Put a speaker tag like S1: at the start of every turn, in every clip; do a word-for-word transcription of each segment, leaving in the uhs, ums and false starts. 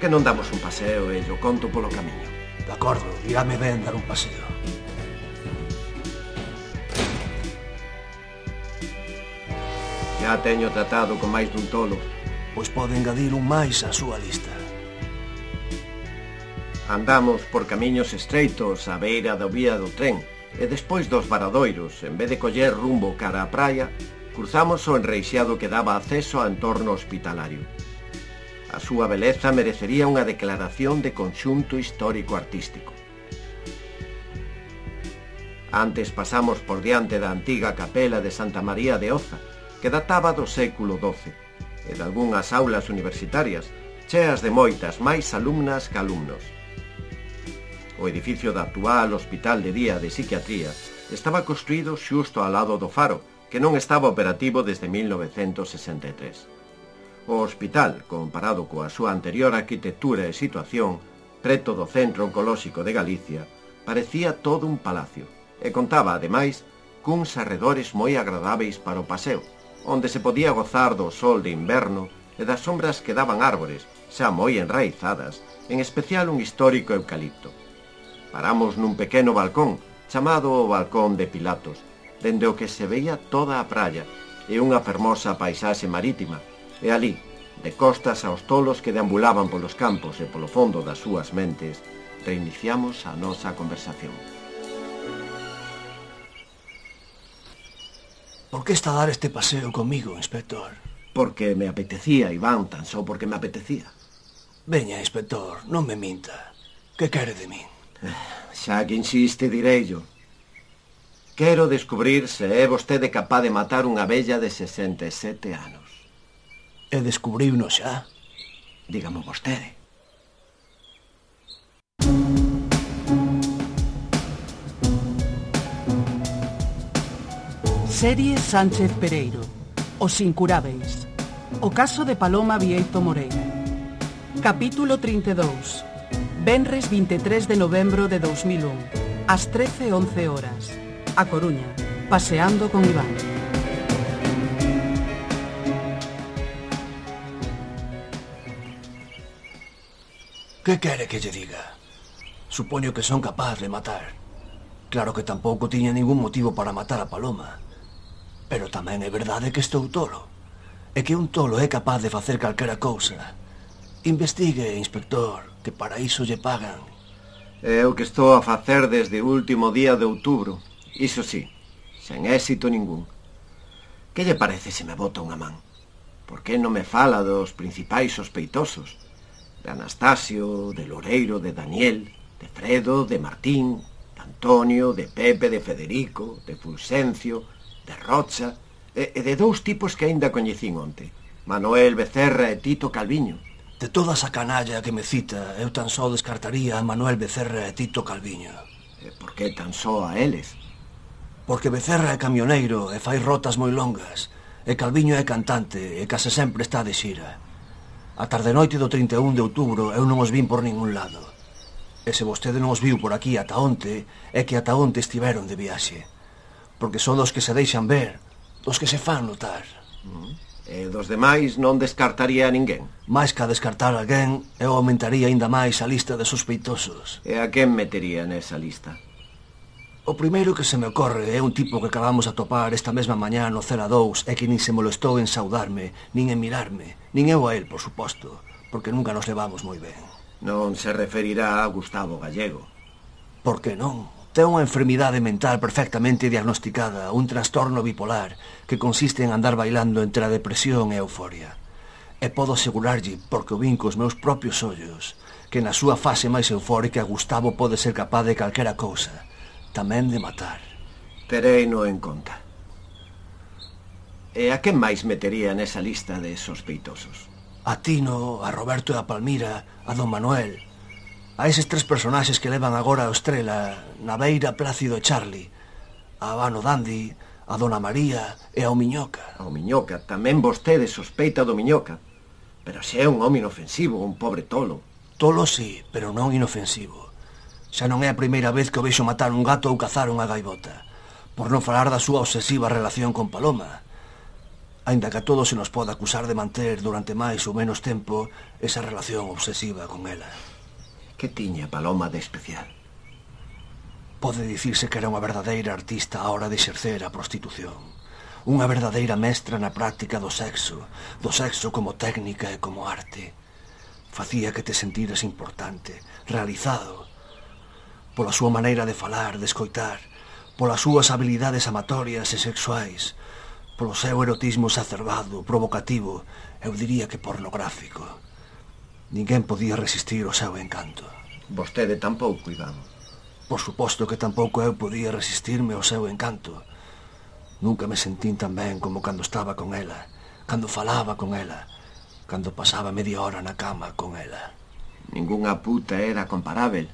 S1: que non damos un paseo e yo conto polo camiño?
S2: De acordo, irame ben dar un paseo.
S1: Já teño tratado con máis dun tolo.
S2: Pois pode engadir un máis á súa lista.
S1: Andamos por camiños estreitos á beira da vía do tren e despois dos varadoiros, en vez de coller rumbo cara á praia, cruzamos o enreixado que daba acceso ao entorno hospitalario. A súa beleza merecería unha declaración de conxunto histórico-artístico. Antes pasamos por diante da antiga capela de Santa María de Oza, que databa do século doce, e de algunhas aulas universitarias, cheas de moitas máis alumnas que alumnos. O edificio da actual Hospital de Día de Psiquiatría estaba construído xusto ao lado do faro, que non estaba operativo desde mil novecentos sesenta e tres. O hospital, comparado coa súa anterior arquitectura e situación, preto do Centro Oncolóxico de Galicia, parecía todo un palacio, e contaba, ademais, cuns arredores moi agradáveis para o paseo, onde se podía gozar do sol de inverno e das sombras que daban árbores, xa moi enraizadas, en especial un histórico eucalipto. Paramos nun pequeno balcón, chamado o Balcón de Pilatos, dende o que se veía toda a praia e unha fermosa paisaxe marítima, e ali, de costas aos tolos que deambulaban polos campos e polo fondo das súas mentes, reiniciamos a nosa conversación.
S2: Por que está a dar este paseo comigo, inspector?
S1: Porque me apetecía, Iván, tan só porque me apetecía.
S2: Veña, inspector, non me minta. Que quere de min?
S1: Xa que insiste, direillo. Quero descubrir se é vostede capaz de matar unha vella de sesenta e sete anos.
S2: E descubriuno xa?
S1: Dígamo vostede.
S3: Serie Sánchez Pereiro. Os incurábeis. O caso de Paloma Bieito Moreira. Capítulo trinta e dous. Venres vinte e tres de novembro de dous mil un. Ás trece e once horas. A Coruña. Paseando con Iván.
S2: Que quere que lle diga? Supoño que son capaz de matar. Claro que tampouco tiña ningún motivo para matar a Paloma. Pero tamén é verdade que estou tolo. E que un tolo é capaz de facer calquera cousa. Investigue, inspector, que para iso lle pagan.
S1: É o que estou a facer desde o último día de outubro. Iso sí, sen éxito ningún. Que lle parece se me bota unha man? Por que non me fala dos principais sospeitosos? De Anastasio, de Loureiro, de Daniel, de Fredo, de Martín, de Antonio, de Pepe, de Federico, de Fulgencio, de Rocha, e, e de dous tipos que aínda coñecín onte, Manuel Becerra e Tito Calviño.
S2: De toda esa canalla que me cita, eu tan só descartaría a Manuel Becerra e Tito Calviño.
S1: E por que tan só a eles?
S2: Porque Becerra é camioneiro e fai rotas moi longas, e Calviño é cantante e case sempre está de xira. A tarde-noite do trinta e un de outubro eu non os vin por ningún lado. E se vostede non os viu por aquí ata onte, é que ata onte estiveron de viaxe. Porque son dos que se deixan ver, dos que se fan notar.
S1: Mm. E dos demais non descartaría a ninguén?
S2: Mais que a descartar a alguén, eu aumentaría aínda máis a lista de sospeitosos.
S1: E a quen metería nesa lista?
S2: O primeiro que se me ocorre é un tipo que acabamos a topar esta mesma mañá no cero dous e que nin se molestou en saudarme, nin en mirarme, nin eu a él, por suposto, porque nunca nos levamos moi ben.
S1: Non se referirá a Gustavo Gallego?
S2: Por que non? Ten unha enfermidade mental perfectamente diagnosticada, un trastorno bipolar que consiste en andar bailando entre a depresión e a euforia. E podo asegurarlle, porque o vin cos meus propios ollos, que na súa fase máis eufórica Gustavo pode ser capaz de calquera cousa, tamén de matar.
S1: Tereino en conta. E a quen máis metería nesa lista de sospeitosos?
S2: A Tino, a Roberto e a Palmira, a Don Manuel. A eses tres personaxes que levan agora a Estrela, Naveira, Plácido e Charlie, a Abano Dandi, a Dona María e ao Miñoca.
S1: Ao Miñoca, tamén vostede sospeita do Miñoca. Pero se é un home inofensivo, un pobre tolo.
S2: Tolo sí, pero non inofensivo. Xa non é a primeira vez que o vexo matar un gato ou cazar unha gaivota, por non falar da súa obsesiva relación con Paloma. aínda que a todos se nos pode acusar de manter durante máis ou menos tempo esa relación obsesiva con ela.
S1: Que tiña Paloma de especial?
S2: Pode dicirse que era unha verdadeira artista á hora de exercer a prostitución. Unha verdadeira mestra na práctica do sexo, do sexo como técnica e como arte. Facía que te sentiras importante, realizado, pola súa maneira de falar, de escoitar, polas súas habilidades amatorias e sexuais, polo seu erotismo exacerbado, provocativo, eu diría que pornográfico. Ninguén podía resistir o seu encanto.
S1: Vostede tampouco, Iván.
S2: Por suposto que tampouco eu podía resistirme ao seu encanto. Nunca me sentín tan ben como cando estaba con ela, cando falaba con ela, cando pasaba media hora na cama con ela.
S1: Ningunha puta era comparável.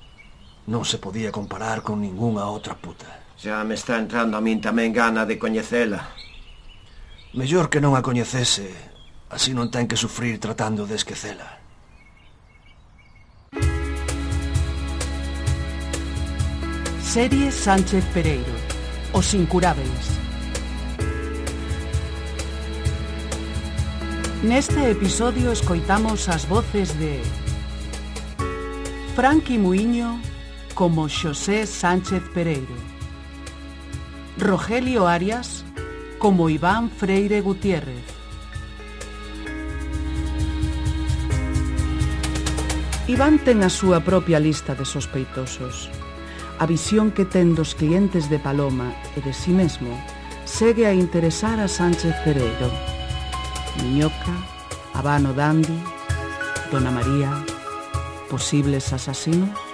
S2: Non se podía comparar con ningunha outra puta.
S1: Xa me está entrando a min tamén gana de coñecela.
S2: Mellor que non a coñecese, así non ten que sufrir tratando de esquecela.
S3: Serie Sánchez Pereiro, Os Incurábeis. Neste episodio escoitamos as voces de Franqui Muiño como Xosé Sánchez Pereiro, Rogelio Arias como Iván Freire Gutiérrez, Iván ten a súa propia lista de sospeitosos. A visión que ten dos clientes de Paloma e de si mesmo segue a interesar a Sánchez Pereiro. Miñoca, Habano Dandi, Dona María, posibles asasinos?